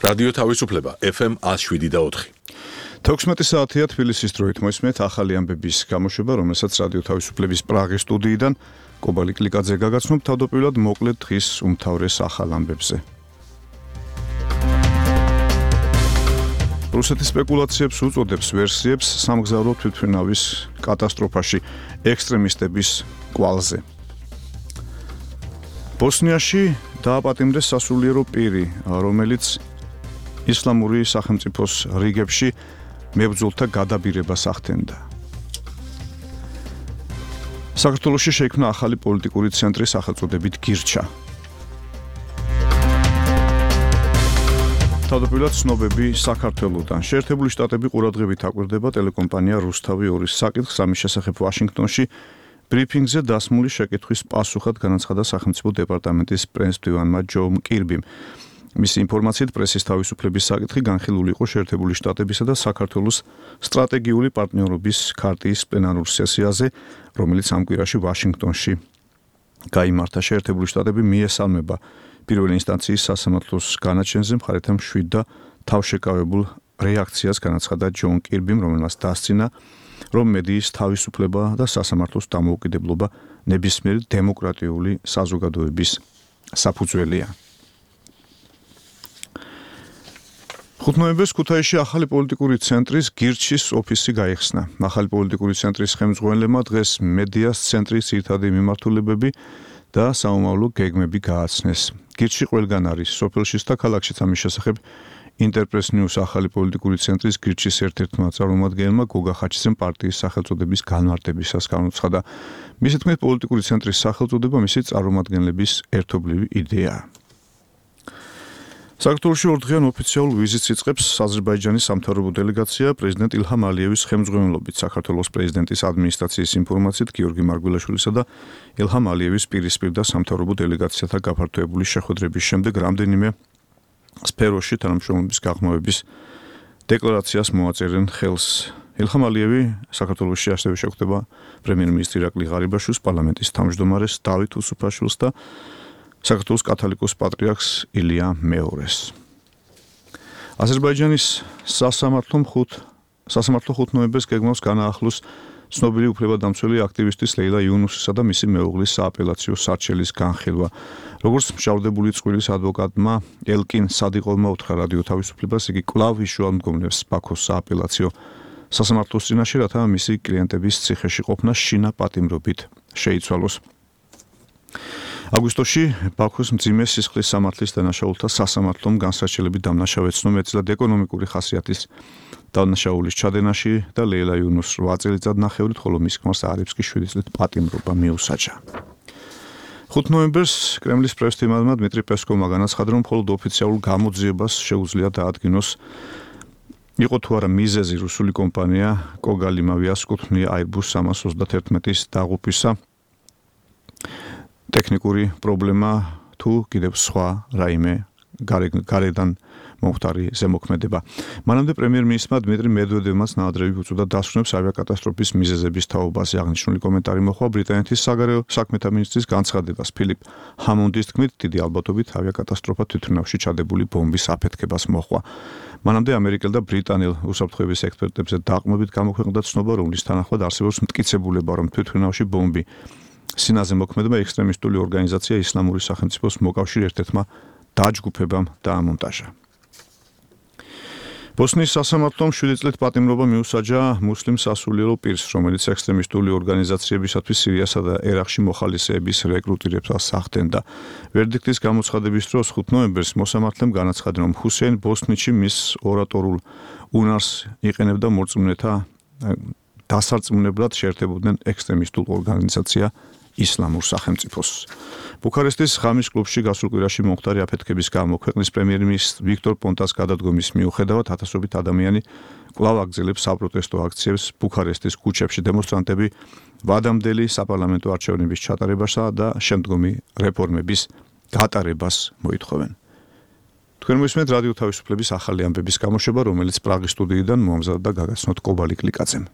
რადიო თავისუფლება FM 107.4. 16 საათია თბილისის დროით მოისმენთ ახალი ამბების გამოშვება, რომელსაც რადიო თავისუფლების პრაღის სტუდიიდან კობალი კლიკაძე გაგაცნობ თავდაპირველად მოკლედ დღის უმთავრეს ახალ ამბებზე. რუსეთის სპეკულაციებს უწოდებს ვერსიებს სამგზავრო თვითმფრინავის კატასტროფაში ექსტრემისტების კვალზე. ბოსნიაში დააპატიმრეს სასულიერო პირი, რომელიც ისლამური სახელმწიფოს რიგებში მებრძოლთა გადაბირებას ახდენდა. საქართველოში შეიქმნა ახალი პოლიტიკური ცენტრი სახელწოდებით გირჩა. თავდაპირველად ცნობები საქართველოდან. შეერთებული შტატები ყურადღებით აკვირდება ტელეკომპანია რუსთავი 2-ის საკითხს, ამის შესახებ ვაშინგტონში ბრიფინგზე დასმული შეკითხვის პასუხად განაცხადა სახელმწიფო დეპარტამენტის პრეზიდენტმა ჯონ კირბიმ. მისი ინფორმაციით პრესის თავისუფლების საკითხი განხილული იყო შეერთებული შტატებისა და საქართველოს სტრატეგიული პარტნიორობის ქარტიის პლენარულ სესიაზე, რომელიც ამ კვირაში ვაშინგტონში გაიმართა. შეერთებული შტატები მიესალმება პირველი ინსტანციის სასამართლოს განაჩენზე მხარეთა მშვიდ და თავშეკავებულ რეაქციას განაცხადა ჯონ კირბიმ, რომელმაც დასცინა, რომ მედიის თავისუფლება და სასამართლოს დამოუკიდებლობა ნებისმიერი დემოკრატიული საზოგადოების საფუძველია. 5 ნოემბერს ქუთაისში ახალი პოლიტიკური ცენტრის გირჩის ოფისი გაიხსნა. ახალი პოლიტიკური ცენტრის ხელმძღვანელებმა დღეს მედიას ცენტრის ძირითადი მიმართულებები და საომავლო გეგმები გააცნეს. გირჩი ყველგან არის, სოფელშიც და ქალაქშიც. ამის შესახებ ინტერპრეს ნიუს ახალი პოლიტიკური ცენტრის გირჩის ერთ-ერთმა წარმომადგენელმა გოგა ხაჩიძემ პარტიის სახელწოდების განმარტებისას განუცხადა. მისი თქმით, პოლიტიკური ცენტრის სახელწოდება მისი წარმომადგენლების ერთობლივი იდეაა. საქართველოში ორდღიან ოფიციალურ ვიზიტს იწყებს აზერბაიჯანის სამთავრობო დელეგაცია პრეზიდენტ ილჰამ ალიევის ხელმძღვანელობით. საქართველოს პრეზიდენტის ადმინისტრაციის ინფორმაციით გიორგი მარგველაშვილისა და ილჰამ ალიევის პირისპირ და სამთავრობო დელეგაციათა გაფართოებული შეხვედრების შემდეგ რამდენიმე სფეროში თანამშრომლობის გაღრმავების დეკლარაციას მოაწერენ ხელს. ილჰამ ალიევი საქართველოში ასევე შეხვდება პრემიერ-მინისტრი ირაკლი ღარიბაშვილს, პარლამენტის თავმჯდომარეს დავით უსუფაშვილს და საქართველოს კათოლიკოს პატრიარქს ილია მეორეს. აზერბაიჯანის სასამართლო 5 ნოემბერს გეგმავს განაახლოს ცნობილი უფლებადამცველი აქტივისტის ლეილა იუნუსისა და მისი მეუღლის სააპელაციო სარჩელის განხილვა. როგორც მჟავდებული წყვილის ადვოკატმა ელკინ სადიყოვმა უთხრა რადიო თავისუფლებას, იგი კვლავ იშუალმდგომლებს ბაქოს სააპელაციო სასამართლოს წინაშე, რათა მისი კლიენტების ციხეში ყოფნა შინა პატიმრობით შეიცვალოს. აგვისტოში ბაქოს მძიმე სისხლის სამართლის დანაშაულთა სასამართლომ განსაჩელები დამნაშავე ცნო მეტწილად ეკონომიკური ხასიათის დანაშაულის ჩადენაში და ლეილა იუნუსს 8 წელიწად ნახევრით, ხოლო მის ქმარს არიფსკი 7 წლით პატიმრობა მიუსაჯა. 5 ნოემბერს კრემლის პრესტიმადმა დმიტრი პესკოვმა განაცხადა, რომ მხოლოდ ოფიციალურ გამოძიებას შეუძლია დაადგინოს იყო თუ არა მიზეზი რუსული კომპანია კოგალიმავიას კუთვნილი Airbus 321-ის დაღუპვისა, ტექნიკური პრობლემა თუ კიდევ სხვა რაიმე გარედან მომხდარი ზემოქმედება. მანამდე პრემიერ-მინისტრმა დმიტრი მედვედევმაც ნაადრევი უწოდა დასვენებს ავიაკატასტროფის მიზეზების თაობაზე. აღნიშნული კომენტარი მოჰყვა ბრიტანეთის საგარეო საქმეთა მინისტრის განცხადებას. ფილიპ ჰამონდის თქმით, დიდი ალბათობით ავიაკატასტროფა თვითმფრინავში ჩადებული ბომბის აფეთქებას მოჰყვა. მანამდე ამერიკელ და ბრიტანელ უსაფრთხოების ექსპერტებზე დაყრდნობით გამოქვეყნდა ცნობა, რომლის თანახმად არსებობს მტკიცებულება, რომ თვითმფრინავში ბომბი სინაზე მოქმედება ექსტრემისტული ორგანიზაცია ისლამური სახელმწიფოს მოკავშირე ერთ-ერთმა დაჯგუფებამ დაამონტაჟა. ბოსნიის სასამართლომ 7 წლით პატიმრობა მიუსაჯა მუსლიმ სასულიერო პირს, რომელიც ექსტრემისტული ორგანიზაციებისათვის სირიასა და ერაყში მოხალისეების რეკრუტირებას ახდენდა. ვერდიქტის გამოცხადების დროს 5 ნოემბერს მოსამართლემ განაცხადა, რომ ჰუსეინ ბოსნიჩი მის ორატორულ უნარს იყენებდა მორწმუნეთა დასარწმუნებლად შეერთებოდნენ ექსტრემისტულ ორგანიზაცია ისლამურ სახელმწიფოს. ბუქარესტის ღამის კლუბში გასულ კვირაში მომხდარი აფეთქების გამო ქვეყნის პრემიერ-მინისტრ ვიქტორ პონტას გადადგომის მიუხედავად ათასობით ადამიანი კვლავ აგრძელებს საპროტესტო აქციებს ბუქარესტის ქუჩებში. დემონსტრანტები ვადამდელი საპარლამენტო არჩევნების ჩატარებასა და შემდგომი რეფორმების გატარებას მოითხოვენ. თქვენ მოისმენთ რადიო თავისუფლების ახალი ამბების გამოშვება, რომელიც პრაღის სტუდიიდან მოამზადდა და გაგაცნოთ კობალი კლიკაძემ.